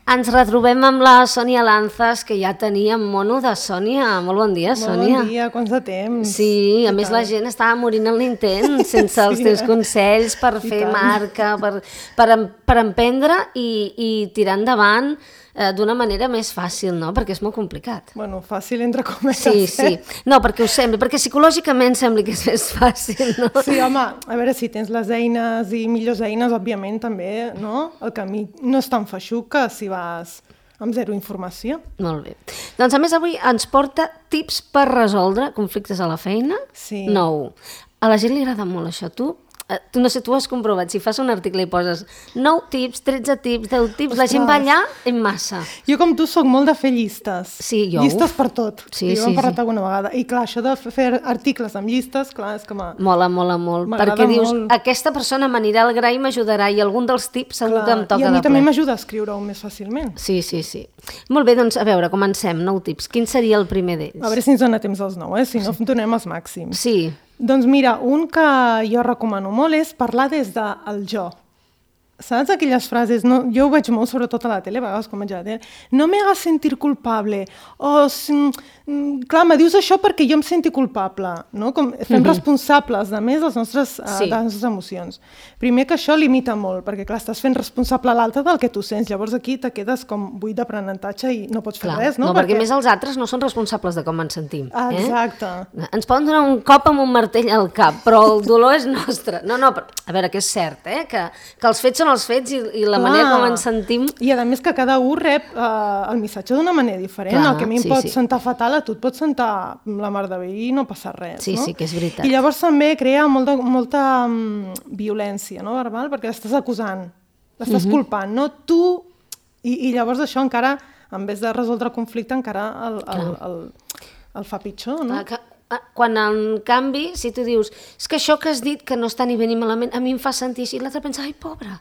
Ens retrobem amb la Sònia Lanzas, que ja teníem mono de Sònia. Molt bon dia, Sònia. Bon dia, quants de temps. Sí, a més la gent estava morint en l'intent sense els teus consells per fer marca, per emprendre i tirar endavant d'una manera més fàcil, no? Perquè és molt complicat. Bueno, fàcil entre cometes. Sí. No, perquè ho sembla, perquè psicològicament sembla que és més fàcil, no? Sí, home, a veure, si tens les eines i millors eines, òbviament també, no? El camí no és tan feixuc que si vas amb zero informació. Molt bé. Doncs a més avui ens porta tips per resoldre conflictes a la feina. Sí. 9. A la gent li agrada molt això. Tu no sé, tu has comprovat, si fas un article i poses 9 tips, 13 tips, 10 tips, la gent va allà en massa. Jo com tu soc molt de fer llistes. Sí, jo. Llistes per tot. Sí, jo hem parlat alguna vegada. I clar, això de fer articles amb llistes, clar, és que Mola molt. Perquè dius, aquesta persona m'anirà al gra i m'ajudarà i algun dels tips segur que em toca de ple. I a mi també m'ajuda a escriure-ho més fàcilment. Sí. Molt bé, doncs a veure, comencem. 9 tips. Quin seria el primer d'ells? A veure si ens dona temps als 9, si no donem els màxims. Sí. Doncs mira, un que jo recomano molt és parlar des del jo. Saps aquelles frases? No, jo ho veig molt, sobretot a la tele, a vegades com veig a la tele. No me hagas sentir culpable. Clar, me dius això perquè jo em senti culpable. No? Com fem responsables, a més, de les nostres emocions. Primer que això limita molt, perquè clar, estàs fent responsable a l'altre del que tu sents. Llavors aquí te quedes com buit d'aprenentatge i no pots fer res. No, perquè més els altres no són responsables de com ens sentim. Exacte. Ens poden donar un cop amb un martell al cap, però el dolor és nostre. No, a veure, que és cert, que els fets són els fets i la manera com ens sentim... I a més que cada un rep el missatge d'una manera diferent. El que a mi em pot sentar fatal, a tu et pot sentar la mar de bé i no passa res. Sí, que és veritat. I llavors també crea molta violència, no, verbal, perquè l'estàs acusant, l'estàs culpant, no tu... I llavors això encara, en vez de resoldre el conflicte, encara el fa pitjor, no? Quan en canvi, si tu dius és que això que has dit que no està ni bé ni malament a mi em fa sentir així, l'altre pensa, ai, pobra,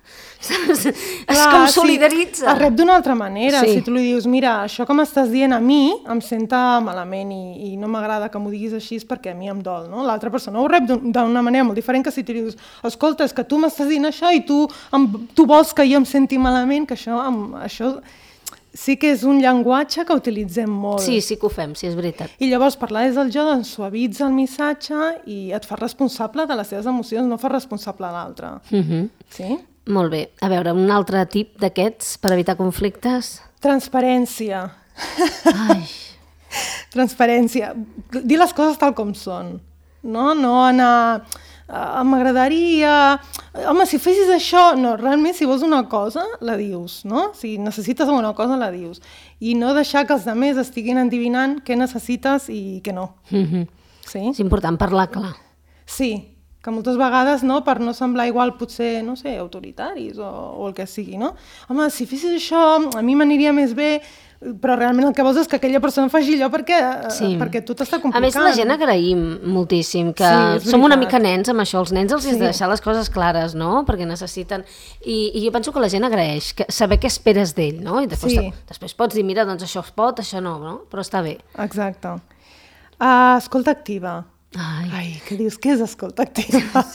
saps? És com solidaritza. Es rep d'una altra manera. Si tu li dius, mira, això que m'estàs dient a mi em senta malament i no m'agrada que m'ho diguis així perquè a mi em dol, no? L'altra persona ho rep d'una manera molt diferent que si tu li dius, escolta, és que tu m'estàs dient això i tu vols que jo em senti malament, que això sí que és un llenguatge que utilitzem molt. Sí que ho fem, sí, és veritat. I llavors parlar des del jo doncs suavitza el missatge i et fa responsable de les teves emocions, no fa responsable a l'altre. Sí? Molt bé. A veure, un altre tip d'aquests per evitar conflictes? Transparència. Ai. Transparència. Dir les coses tal com són. No anar... m'agradaria... Home, si fessis això... No, realment, si vols una cosa, la dius, no? Si necessites alguna cosa, la dius. I no deixar que els altres estiguin endivinant què necessites i què no. Sí? És important parlar clar. Sí, que moltes vegades, no, per no semblar igual, potser, no sé, autoritaris o el que sigui, no? Home, si fessis això, a mi m'aniria més bé... però realment el que vols és que aquella persona faci allò perquè tu t'està complicant. A més, la gent agraïm moltíssim, que som una mica nens amb això. Els nens els has de deixar les coses clares, no? Perquè necessiten... I jo penso que la gent agraeix saber què esperes d'ell, no? I després pots dir, mira, doncs això es pot, això no? Però està bé. Exacte. Escolta activa. Ai, què dius? Què és escolta activa?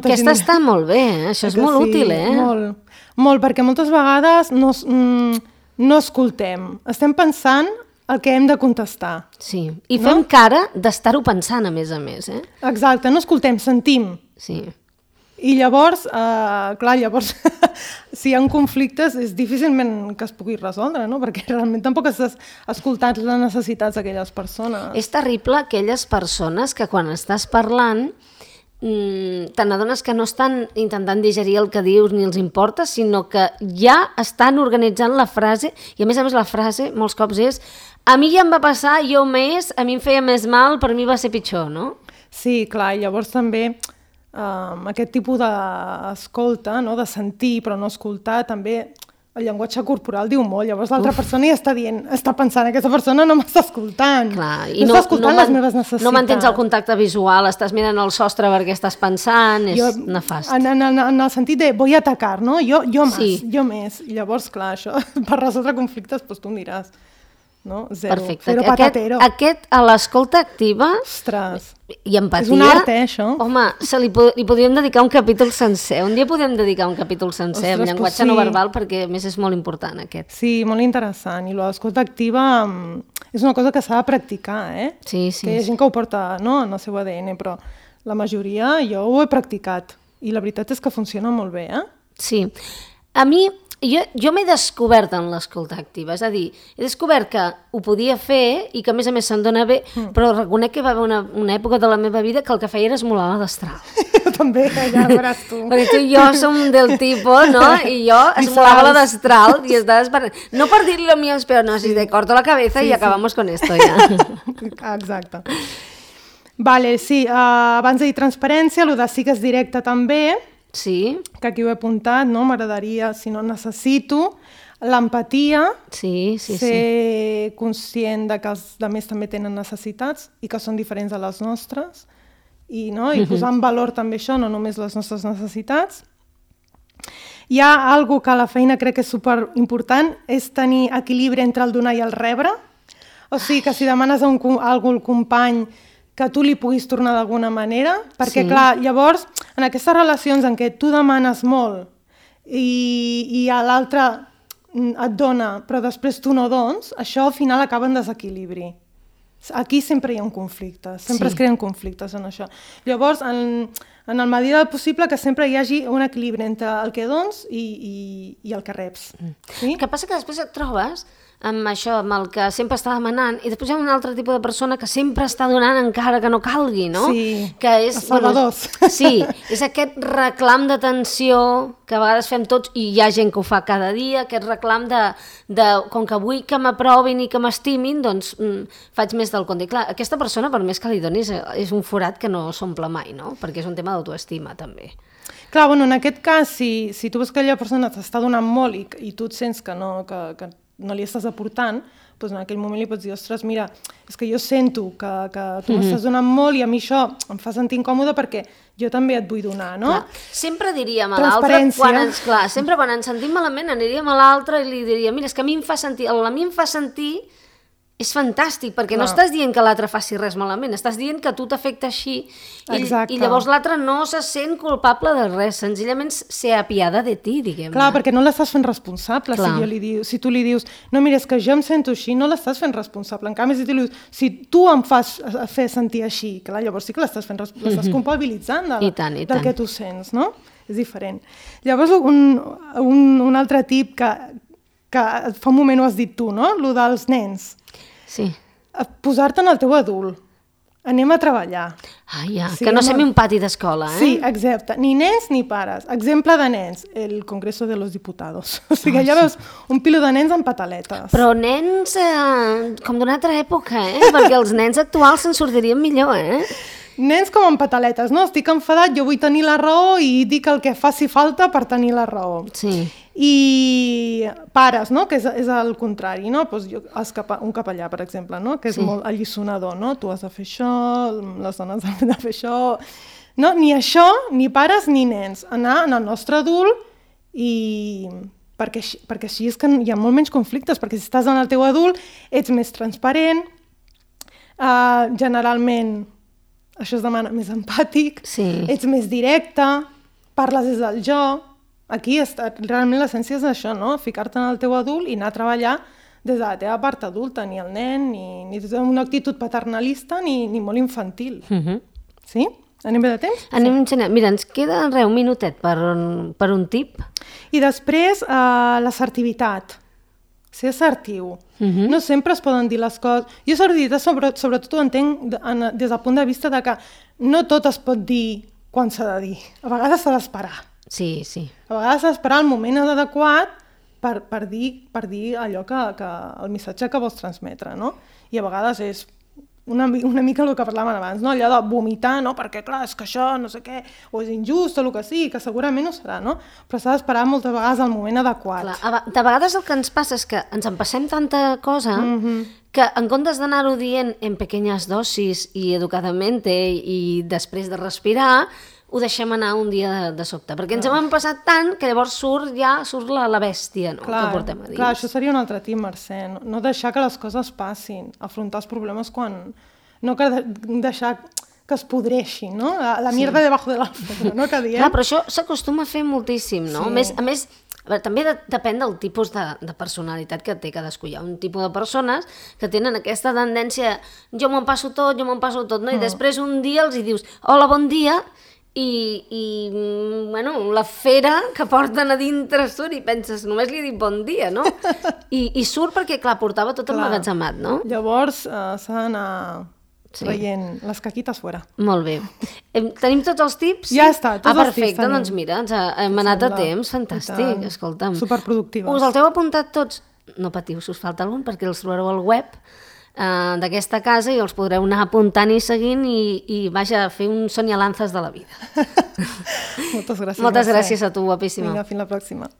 Aquesta està molt bé, això és molt útil, Molt, perquè moltes vegades no escoltem. Estem pensant el que hem de contestar. Sí, i fem cara d'estar-ho pensant, a més. Exacte, no escoltem, sentim. Sí. I llavors, si hi ha conflictes, és difícilment que es pugui resoldre, no? Perquè realment tampoc has escoltat les necessitats d'aquelles persones. És terrible aquelles persones que quan estàs parlant te n'adones que no estan intentant digerir el que dius ni els importa, sinó que ja estan organitzant la frase, i a més la frase molts cops és a mi ja em va passar, jo més, a mi em feia més mal, per mi va ser pitjor, no? Sí, clar, i llavors també aquest tipus d'escolta, no? De sentir però no escoltar, també el llenguatge corporal diu molt, llavors l'altra persona ja està pensant, aquesta persona no m'està escoltant, clar, no està escoltant les meves necessitats. No mantens el contacte visual, estàs mirant el sostre perquè estàs pensant, és nefast. En el sentit de voy a atacar, no? Jo més. I llavors, clar, això, per resoldre conflictes, doncs tu em diràs. no? Zero. Perfecte. Zero patatero. Aquest a l'escolta activa Ostres. i empatia... És un art, això. Home, li podríem dedicar un capítol sencer. Un dia podem dedicar un capítol sencer amb llenguatge no verbal, perquè a més és molt important aquest. Sí, molt interessant. I l'escolta activa és una cosa que s'ha de practicar, Sí. Que hi ha gent que ho porta, no?, en el seu ADN, però la majoria jo ho he practicat. I la veritat és que funciona molt bé, Sí. A mi... Jo m'he descobert en l'escolta activa, és a dir, he descobert que ho podia fer i que a més se'm dona bé, però reconec que va haver una època de la meva vida que el que feia era esmolar la destral. Jo també, ja veuràs tu. Perquè tu i jo som del tipus, no? I jo esmolava la destral i estava esperant. No per dir-li lo mío, però no, si te corto la cabeza y acabamos con esto ja. Exacte. Vale, sí, abans de dir transparència, el de sí que és directe també, Sí. que aquí ho he apuntat, no? M'agradaria, si no necessito, l'empatia, ser conscient de que els altres també tenen necessitats i que són diferents a les nostres, i posar en valor també això, no només les nostres necessitats. Hi ha algo que a la feina crec que és superimportant, és tenir equilibri entre el donar i el rebre. O sigui, que si demanes alguna cosa al company, que tu li puguis tornar d'alguna manera, perquè clar, llavors, en aquestes relacions en què tu demanes molt i a l'altre et dona, però després tu no dones, això al final acaba en desequilibri. Aquí sempre hi ha un conflicte, sempre es creen conflictes en això. Llavors, en el medida del possible, que sempre hi hagi un equilibri entre el que dones i el que reps. El que passa que després et trobes amb això, amb el que sempre està demanant, i després hi ha un altre tipus de persona que sempre està donant encara que no calgui, no? Sí, que és, els salvadors. Sí, és aquest reclam d'atenció que a vegades fem tots, i hi ha gent que ho fa cada dia, aquest reclam de com que vull que m'aprovin i que m'estimin, doncs faig més del compte. I clar, aquesta persona, per més que li donis, és un forat que no s'omple mai, no? Perquè és un tema d'autoestima, també. Clar, bueno, en aquest cas, si tu veus que aquella persona t'està donant molt i tu et sents que no li estàs aportant, doncs en aquell moment li pots dir, ostres, mira, és que jo sento que tu m'estàs donant molt i a mi això em fa sentir incòmode perquè jo també et vull donar, no? Clar. Sempre diríem a l'altre, sempre quan ens sentim malament aniríem a l'altre i li diríem, mira, és que a mi em fa sentir és fantàstic, perquè no estàs dient que l'altre faci res malament, estàs dient que a tu t'afecta així i llavors l'altre no se sent culpable de res, senzillament se apiada de ti, diguem-ne. Clar, perquè no l'estàs fent responsable. Si tu li dius, no, mira, és que jo em sento així, no l'estàs fent responsable. En canvi, si tu em fas fer sentir així, clar, llavors sí que l'estàs fent responsable, l'estàs culpabilitzant del que tu sents, no? És diferent. Llavors, un altre tip que fa un moment ho has dit tu, no? Lo dels nens. Sí. Posar-te en el teu adult. Anem a treballar. Que no sembli un pati d'escola, Sí, exacte. Ni nens ni pares. Exemple de nens, el Congreso de los Diputados. O sigui, allà veus un pilo de nens amb pataletes. Però nens com d'una altra època, perquè els nens actuals se'n sortirien millor, Nens com amb pataletes, no? Estic enfadat, jo vull tenir la raó i dic el que faci falta per tenir la raó. Sí. I pares, no? Que és el contrari, no? Pues un capellà, per exemple, no? Que és molt alliçonador, no? Tu has de fer això, les dones han de fer això... No? Ni això, ni pares ni nens. Anar en el nostre adult i... Perquè així és que hi ha molt menys conflictes, perquè si estàs en el teu adult ets més transparent, generalment això es demana més empàtic, ets més directe, parles des del jo. Aquí realment l'essència és això, no? Ficar-te en el teu adult i anar a treballar des de la teva part adulta, ni el nen, ni una actitud paternalista, ni molt infantil. Sí? Anem bé de temps? Mira, ens queda un minutet per un tip. I després, l'assertivitat. Ser assertiu. No sempre es poden dir les coses. Jo assertivitat sobretot ho entenc des del punt de vista de que no tot es pot dir quan s'ha de dir. A vegades s'ha d'esperar. Sí. A vegades s'ha d'esperar el moment adequat per dir allò el missatge que vols transmetre, no? I a vegades és una mica el que parlàvem abans, no? Allò de vomitar, no? Perquè clar, és que això no sé què, o és injust o el que sigui, que segurament ho serà, no? Però s'ha d'esperar moltes vegades el moment adequat. Clar, de vegades el que ens passa és que ens empassem tanta cosa que en comptes d'anar-ho dient en pequeñas dosis i educadament i després de respirar, ho deixem anar un dia de sobte, perquè ens hem passat tant que llavors surt la bèstia, no? Que portem a dins. Clar, això seria un altre tip, Mercè, no deixar que les coses passin, afrontar els problemes quan... No que deixar que es podreixin, no? La mierda debajo de l'alfombra, no? Que diem. Clar, però això s'acostuma a fer moltíssim, no? Sí. A més, també depèn del tipus de personalitat que té cadascú. Hi ha un tipus de persones que tenen aquesta tendència, jo m'ho passo tot, no? I després un dia els hi dius, hola, bon dia, i bueno, la fera que porten a dintre surt i penses, només li he dit bon dia, no? I surt perquè, clar, portava tot emmagatzemat, no? Llavors s'ha d'anar traient les caquites fora. Molt bé. Tenim tots els tips? Ja està, tots els tips perfecte, tenim. Doncs mira, hem anat a temps, fantàstic, escolta'm. Superproductives. Us els heu apuntat tots? No patiu, si us falta algun, perquè els trobareu al web d'aquesta casa i els podreu anar apuntant i seguint i vaja, fer un sonyalanzas de la vida. Moltes gràcies. Moltes gràcies a tu, guapíssima. Vinga, fins la pròxima.